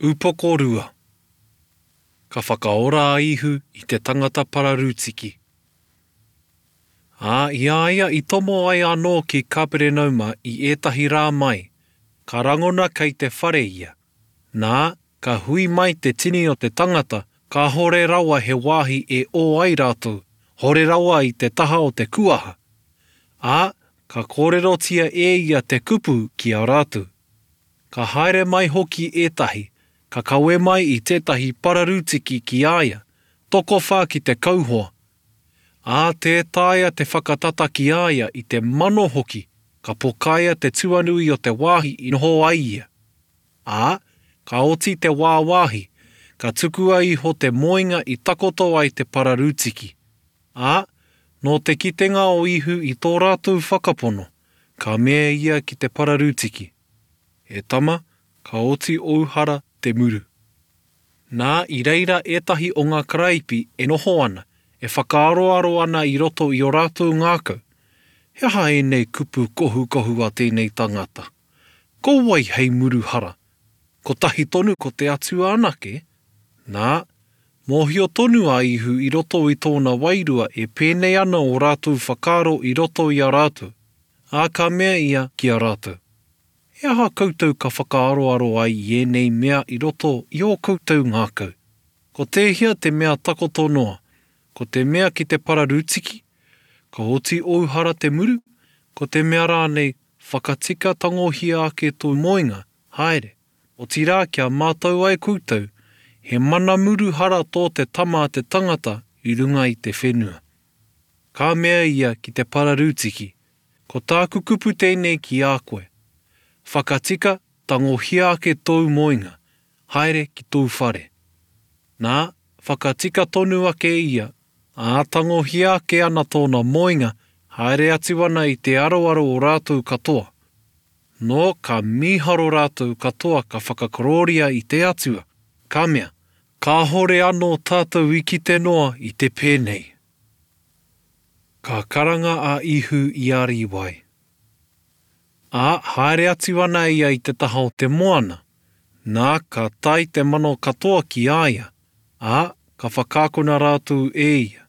Upoko 2. Ka whakaora a Ihu i te tangata pararūtiki. Ā, i a ia i tomo ai anō ki Kaperenauma i ētahi rā mai, ka rangona kei te whare ia. Nā, ka hui mai te tini o te tangata, kāhore rawa he wāhi e ō ai rātou, hore rawa i te taha o te kuaha. Ā, ka kōrerotia e ia te kupu ki a rātou. Ka haere mai hoki ētahi, ka kawe mai i tētahi pararūtiki ki a ia, tokowhā ki te kauhoa. Ā, tē taea te whakatata ki a ia i te mano hoki, ka pokaia te tuanui o te wāhi i noho ai ia. Ā, ka oti te wāwāhi, ka tukua iho te moenga i takoto ai te pararūtiki. Ā, nō te kitenga o Ihu i tō rātou whakapono, ka mea ia ki te pararūtiki, E tama, ka oti ōu hara te muru. Nā, i reira ētahi o ngā karaipi e noho ana, e whakaaroaro ana i roto i ō rātou ngākau, He aha ēnei kupu kohukohu a tēnei tangata? Ko wai hei muru hara? Kotahi tonu ko te Atua anake? Nā, mōhio tonu a Ihu i roto i tōna wairua e pēnei ana ō rātou whakaaro i roto i a rātou, ā, ka mea ia ki a rātou, He aha koutou ka whakaaroaro ai i ēnei mea i roto i ō koutou ngākau? Ko tēhea te mea takoto noa, ko te mea ki te pararūtiki, ka oti ōu hara te muru, ko te mea rānei, whakatika tangohia ake tō moenga, haere? Otirā kia mātau ai koutou, he mana muru hara tō te Tama a te tangata i runga i te whenua. Ka mea ia ki te pararūtiki, Ko tāku kupu tēnei ki a koe, Whakatika, tangohia ake tōu moenga, haere ki tōu whare. Nā, whakatika tonu ake ia, ā, tangohia ake ana tōna moenga, haere atu ana i te aroaro o rātou katoa. Nō, ka mīharo rātou katoa ka whakakorōria i te Atua, ka mea, Kāhore anō tātou i kite noa i te pēnei. Ka karanga a Ihu i a Rīwai. Ā, haere atu ana ia i te taha o te moana, nā, ka tae te mano katoa ki a ia, ā, ka whakaakona rātou e ia.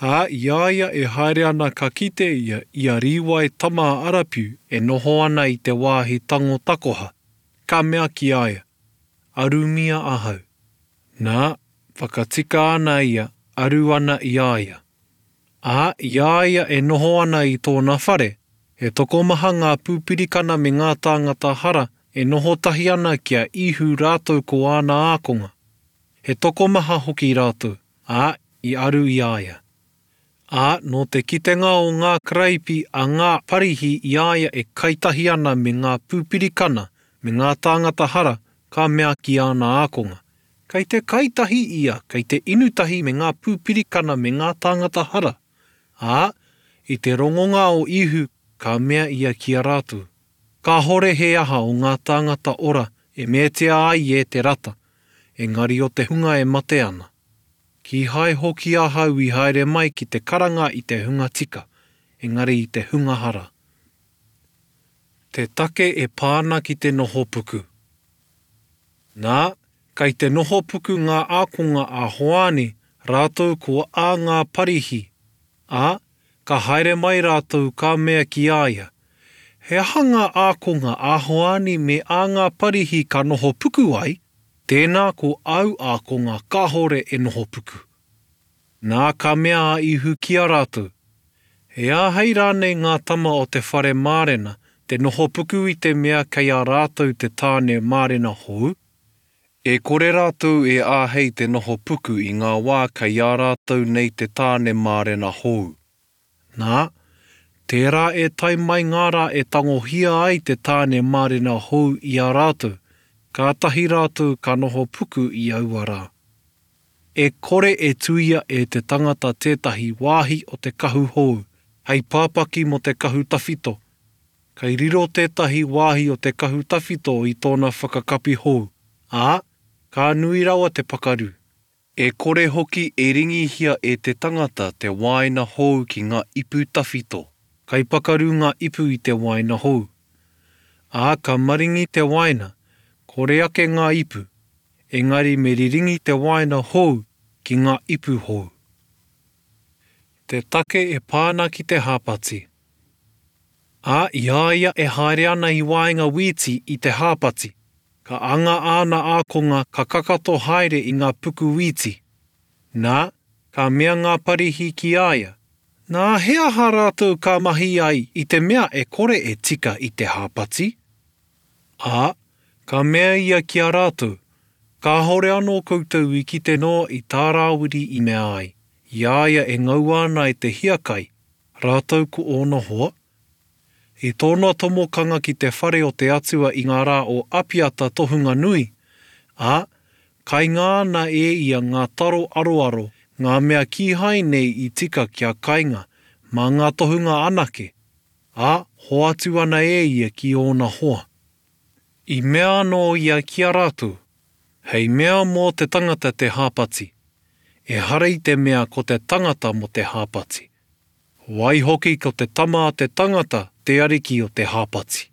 Ā, i a ia e haere ana ka kite ia i a Rīwai tama a Arapiu e noho ana i te wāhi tango takoha, ka mea ki a ia, Arumia ahau. Nā, whakatika ana ia, aru ana i a ia. Ā, i a ia e noho ana i tōna whare, he tokomaha ngā pūpirikana me ngā tāngata hara e noho tahi ana ki a Īhu rātou ko āna ākonga. He tokomaha hoki rātou, ā, i aru i a ia. Ā, nō te kitenga o ngā karaipi a ngā Parihi i a ia e kai tahi ana me ngā pūpirikana me ngā tāngata hara, ka mea ki āna ākonga, Kei te kai tahi ia, kei te inu tahi me ngā pūpirikana me ngā tāngata hara. Ā, i te rongonga o Īhu, ka mea ia ki a rātou, Kāhore he aha o ngā tāngata ora e meatia ai e te rata, engari o te hunga e mate ana. Kīhai hoki ahau i haere mai ki te karanga i te hunga tika, engari i te hunga hara. Te take e pā ana ki te noho puku. Nā, kei te noho puku ngā ākonga a Hoani rātou ko ā ngā Parihi, ā, ka haere mai rātou ka mea ki a ia, He aha ngā ākonga a Hoani me ā ngā Parihi ka noho puku ai, tēnā ko āu ākonga kāhore e noho puku? Nā, ka mea a Ihu ki a rātou, E āhei rānei ngā tama o te whare mārena te noho puku i te mea kei a rātou te tāne mārena hou? E kore rātou e āhei te noho puku i ngā wā kei a rātou nei te tāne mārena hou. Nā, tērā e tae mai ngā rā e tangohia ai te tāne mārena hou i a rātou, kātahi rātou ka noho puku i aua rā. E kore e tuia e te tangata tētahi wāhi o te kahu hou hei pāpaki mō te kahu tawhito. Kei riro tētahi wāhi o te kahu tawhito i tōna whakakapi hou, ā, ka nui rawa te pakaru. E kore hoki e ringihia e te tangata te wāina hou ki ngā ipu tawhito. Kei pakaru ngā ipu i te wāina hou. Ā, ka maringi te wāina, kore ake ngā ipu. Engari me riringi te wāina hou ki ngā ipu hou. Te take e pā ana ki te hāpati. Ā, i a ia e haere ana i waenga wīti i te hāpati, ka anga āna ākonga ka kakato haere i ngā puku wīti. Nā, ka mea ngā Parihī ki a ia, Nā, he aha rātou ka mahi ai i te mea e kore e tika i te hāpati? Ā, ka mea ia ki a rātou, Kāhore anō koutou i kite noa i tā Rāwiri i mea ai, i a ia e ngaua ana e te hiakai, rātou ko ōna hoa? I tōna tomokanga ki te whare o te Atua i ngā rā o Apiata tohunga nui, ā, kainga ana e ia ngā taro aroaro, ngā mea kīhai nei i tika kia kainga, mā ngā tohunga anake, ā, hoatu ana e ia ki ōna hoa. I mea anō ia ki a rātou, Hei mea mō te tangata te hāpati, ehara i te mea ko te tangata mō te hāpati. Waihoki ko te Tama a te tangata te Ariki o te hāpati.